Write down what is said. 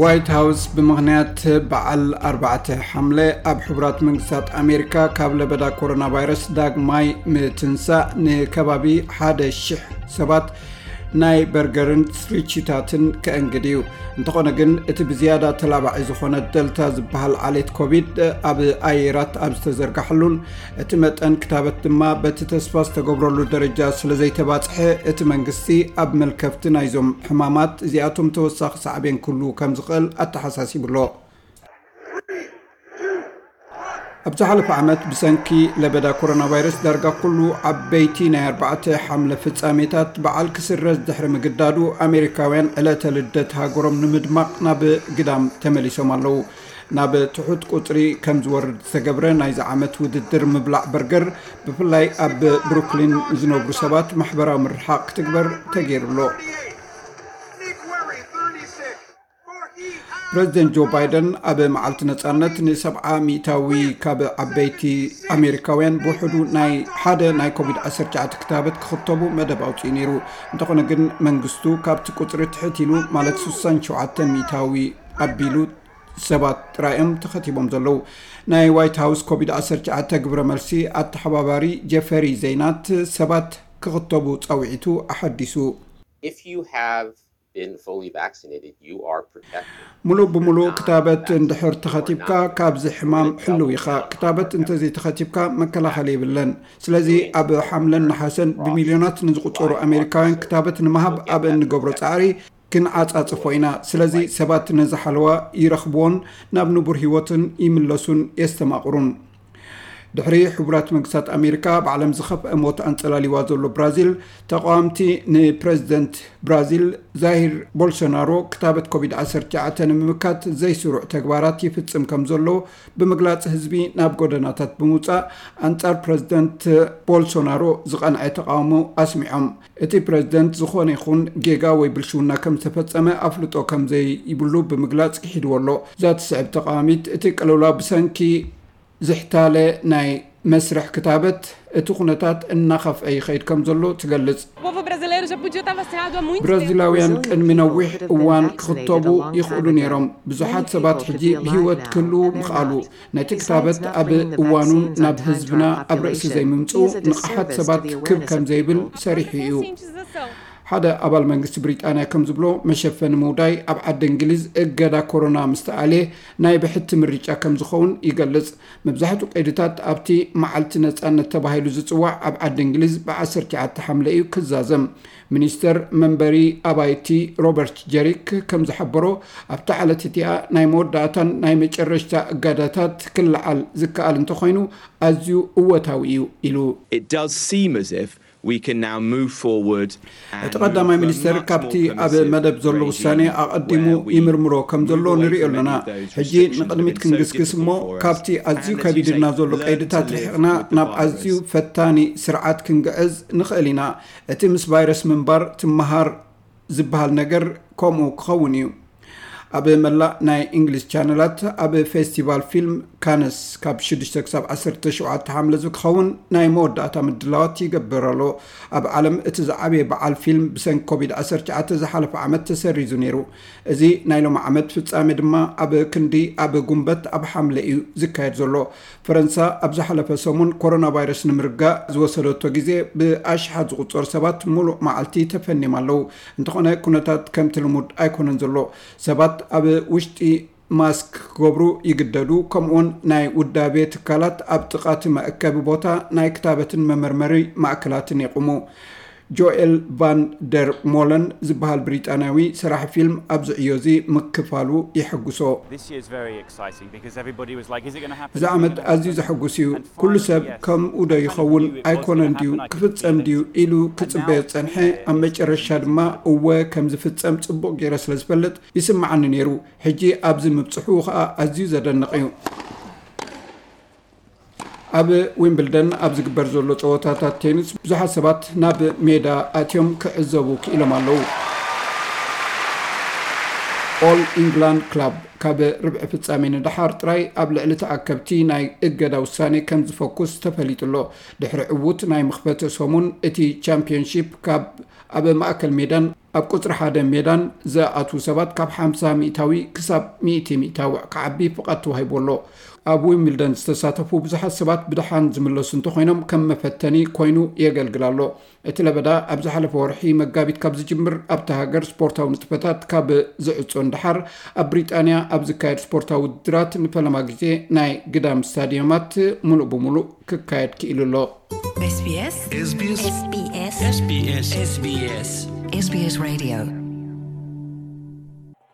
ዋይት ሃውስ ብምኽንያት በዓል ኣርባዕተ ሓምለ ኣብ ሕቡራት መንግስታት ኣሜሪካ ካብ ለበዳ ኮሮና ቫይረስ ዳግማይ ምትንሳእ ንከባቢ ሓደ ሽሕ ሰባት ናይ በርገርን ስትሪችታትን ከእንግድ እዩ። እንተኾነ ግን እቲ ብዝያዳ ተላባዒ ዝኾነ ደልታ ዝበሃል ዓሌት ኮቪድ ኣብ ኣየራት ኣብ ዝተዘርጋሕሉን እቲ መጠን ክታበት ድማ በቲ ተስፋ ዝተገብረሉ ደረጃ ስለ ዘይተባጽሐ እቲ መንግስቲ ኣብ መልከፍቲ ናይዞም ሕማማት እዚኣቶም ተወሳኺ ሳዕቤን ክህሉ ከም ዝኽእል ኣተሓሳሲቡ ኣሎ። ኣብ ዝሓለፈ ዓመት ብሰንኪ ለበዳ ኮሮና ቫይረስ ዳርጋ ኩሉ ዓበይቲ ናይ ኣርባዕተ ሓምለ ፍጻሜታት በዓል ክስረዝ ድሕሪ ምግዳዱ ኣሜሪካውያን ዕለተ ልደት ሃገሮም ንምድማቕ ናብ ግዳም ተመሊሶም ኣለዉ። ናብ ትሑት ቁጽሪ ከም ዝወርድ ዝተገብረ ናይዚ ዓመት ውድድር ምብላዕ በርገር ብፍላይ ኣብ ብሩክሊን ዝነብሩ ሰባት ማሕበራዊ ምርሓቕ ክትግበር ተገይሩ ኣሎ። ፕረዚደንት ጆ ባይደን ኣብ መዓልቲ ነጻነት ንሰብዓ ሚእታዊ ካብ ዓበይቲ ኣሜሪካውያን ብውሕዱ ናይ ሓደ ናይ ኮቪድ ዓሰርተ ትሽዓተ ክታበት ክኽተቡ መደብ ኣውፅኡ ነይሩ። እንተኾነ ግን መንግስቱ ካብቲ ቁፅሪ ትሕት ኢሉ ማለት ስሳን ሸውዓተ ሚእታዊ ኣቢሉ ሰባት ጥራይ እዮም ተኸቲቦም ዘለዉ። ናይ ዋይት ሃውስ ኮቪድ ዓሰርተ ትሽዓተ ግብረ መልሲ ኣተሓባባሪ ጀፈሪ ዘይናት ሰባት ክኽተቡ ፃውዒቱ ኣሓዲሱ። If you have been fully vaccinated, you are protected. ሙሉእ ብሙሉእ ክታበት እንድሕር ተኸቲብካ ካብዚ ሕማም ሕልው ኢኻ። ክታበት እንተዘይተኸቲብካ መከላኸሊ የብለን። ስለዚ ኣብ ሓምለን ነሓሰን ብሚልዮናት ንዝቑጸሩ ኣሜሪካውያን ክታበት ንምሃብ ኣብ እንገብሮ ጻዕሪ ክንዓጻጽፎ ኢና። ስለዚ ሰባት ነዚ ሓለዋ ይረኽብዎን ናብ ንቡር ህይወትን ይምለሱን የስተማቕሩን። ድሕሪ ሕቡራት መንግስታት ኣሜሪካ ኣብ ዓለም ዝኸፍአ ሞት ኣንጸላሊዋ ዘሎ ብራዚል፣ ተቓዋምቲ ንፕረዚደንት ብራዚል ዛይር ቦልሶናሮ ክታበት ኮቪድ ዓሰርተ ትሽዓተ ንምምካት ዘይስሩዕ ተግባራት ይፍጽም ከም ዘሎ ብምግላጽ ህዝቢ ናብ ጎደናታት ብምውጻእ ኣንጻር ፕረዚደንት ቦልሶናሮ ዝቐንዐ ተቓውሞ ኣስሚዖም። እቲ ፕረዚደንት ዝኾነ ይኹን ጌጋ ወይ ብልሽውና ከም ዝተፈጸመ ኣፍልጦ ከም ዘይብሉ ብምግላጽ ክሒድዎ ኣሎ። እዛ ትስዕብ ተቓዋሚት እቲ ቅልውላው ብሰንኪ ዝሕታለ ናይ መስርሕ ክታበት እቲ ኩነታት እናኸፍአ ይኸይድ ከም ዘሎ ትገልጽ። O povo brasileiro já podia estar vacinado há muito tempo. ብራዚላውያን ቅድሚ ነዊሕ እዋን ክኽተቡ ይኽእሉ ነይሮም። ብዙሓት ሰባት ሕጂ ብህይወት ክህልዉ ምኽኣሉ። ነቲ ክታበት ኣብ እዋኑ ናብ ህዝብና ኣብ ርእሲ ዘይምምፅኡ ንቕሓት ሰባት ክብ ከም ዘይብል ሰሪሑ እዩ። ሓደ ኣባል መንግስቲ ብሪጣንያ ከም ዝብሎ መሸፈኒ ምውዳይ ኣብ ዓዲ እንግሊዝ እገዳ ኮሮና ምስተኣልየ ናይ ብሕቲ ምርጫ ከም ዝኸውን ይገልጽ። መብዛሕትኡ ቀይድታት ኣብቲ መዓልቲ ነጻነት ተባሂሉ ዝጽዋዕ ኣብ ዓዲ እንግሊዝ ብ ዓሰርተ ትሽዓተ ሓምለ እዩ ክዛዘም። ሚኒስተር መንበሪ ኣባይቲ ሮበርት ጀሪክ ከም ዝሓበሮ ኣብታ ዕለት እቲኣ ናይ መወዳእታን ናይ መጨረሽታ እገዳታት ክለዓል ዝከኣል እንተኾይኑ ኣዝዩ እወታዊ እዩ ኢሉ። It does seem as if we can now move forward. እቲ ቀዳማይ ሚኒስተር ካብቲ ኣብ መደብ ዘሎ ውሳኔ ኣቐዲሙ ይምርምሮ ከም ዘሎ ንሪኦ ኣለና። ሕጂ ንቕድሚት ክንግስግስ እሞ ካብቲ ኣዝዩ ከቢድና ዘሎ ቀይድታት ርሒቕና ናብ ኣዝዩ ፈታኒ ስርዓት ክንግዕዝ ንኽእል ኢና። እቲ ምስ ቫይረስ ምንባር ትመሃር ዝበሃል ነገር ከምኡ ክኸውን እዩ። ኣብ መላእ ናይ እንግሊዝ ቻነላት ኣብ ፌስቲቫል ፊልም ካነስ ካብ ሽዱሽተ ክሳብ ዓሰርተ ሸውዓተ ሓምለ ዝኸውን ናይ መወዳእታ ምድላዋት ይገብር ኣሎ። ኣብ ዓለም እቲ ዝዓበየ በዓል ፊልም ብሰንኪ ኮቪድ ዓሰርተ ትሽዓተ ዝሓለፈ ዓመት ተሰሪዙ ነይሩ። እዚ ናይ ሎሚ ዓመት ፍጻሜ ድማ ኣብ ክንዲ ኣብ ጉንበት ኣብ ሓምለ እዩ ዝካየድ ዘሎ። ፈረንሳ ኣብ ዝሓለፈ ሰሙን ኮሮና ቫይረስ ንምርጋእ ዝወሰደቶ ግዜ ብኣሽሓት ዝቑጸሩ ሰባት ሙሉእ መዓልቲ ተፈንዮም ኣለዉ። እንተኾነ ኩነታት ከምቲ ልሙድ ኣይኮነን ዘሎ። ሰባት ኣብ ውሽጢ ማስክ ክገብሩ ይግደዱ። ከምኡውን ናይ ውዳቤ ትካላት ኣብ ጥቓ እቲ መእከቢ ቦታ ናይ ክታበትን መመርመሪ ማእከላትን የቑሙ። ጆኤል ቫን ደር ሞለን ዝበሃል ብሪጣንያዊ ሰራሒ ፊልም ኣብዚ ዕዮ እዚ ምክፋሉ የሐጉሶ። This year's very exciting because everybody was like, is it going to happen? እዚ ዓመት ኣዝዩ ዘሐጉስ እዩ። ኩሉ ሰብ ከምኡ ዶ ይኸውን ኣይኮነን ድዩ ክፍጸም ድዩ ኢሉ ክጽበዮ ዝጸንሐ። ኣብ መጨረሻ ድማ እወ ከም ዝፍጸም ጽቡቕ ገይረ ስለ ዝፈልጥ ይስምዓኒ ነይሩ። ሕጂ ኣብዚ ምብጽሑ ኸኣ ኣዝዩ ዘደንቕ እዩ። ኣብ ዊምብልደን ኣብ ዝግበር ዘሎ ጸወታታት ቴኒስ ብዙሓት ሰባት ናብ ሜዳ ኣትዮም ክዕዘቡ ክኢሎም ኣለዉ። ኦል ኢንግላንድ ክላብ ካብ ርብዒ ፍጻሜ ንደሓር ጥራይ ኣብ ልዕሊ ተኣከብቲ ናይ እገዳ ውሳኔ ከም ዝፈኩስ ተፈሊጡ ኣሎ። ድሕሪ ዕዉት ናይ መኽፈቲ ሰሙን እቲ ቻምፒዮንሺፕ ካብ ኣብ ማእከል ሜዳን ኣብ ቁፅሪ ሓደ ሜዳን ዝኣትዉ ሰባት ካብ ሓምሳ ሚእታዊ ክሳብ ሚእቲ ሚእታዊ ክዓቢ ፍቓድ ተዋሂቡ ኣሎ። ኣብ ዊምብልደን ዝተሳተፉ ብዙሓት ሰባት ብደሓን ዝምለሱ እንተኾይኖም ከም መፈተኒ ኮይኑ የገልግል ኣሎ። እቲ ለበዳ ኣብ ዝሓለፈ ወርሒ መጋቢት ካብ ዝጅምር ኣብቲ ሃገር ስፖርታዊ ንጥፈታት ካብ ዝዕጾ ንደሓር ኣብ ብሪጣንያ ኣብ ዝካየድ ስፖርታዊ ውድድራት ንፈለማ ግዜ ናይ ግዳም ስታዲየማት ሙሉእ ብሙሉእ ክካየድ ክኢሉ ኣሎ። SBS SBS SBS SBS SBS Radio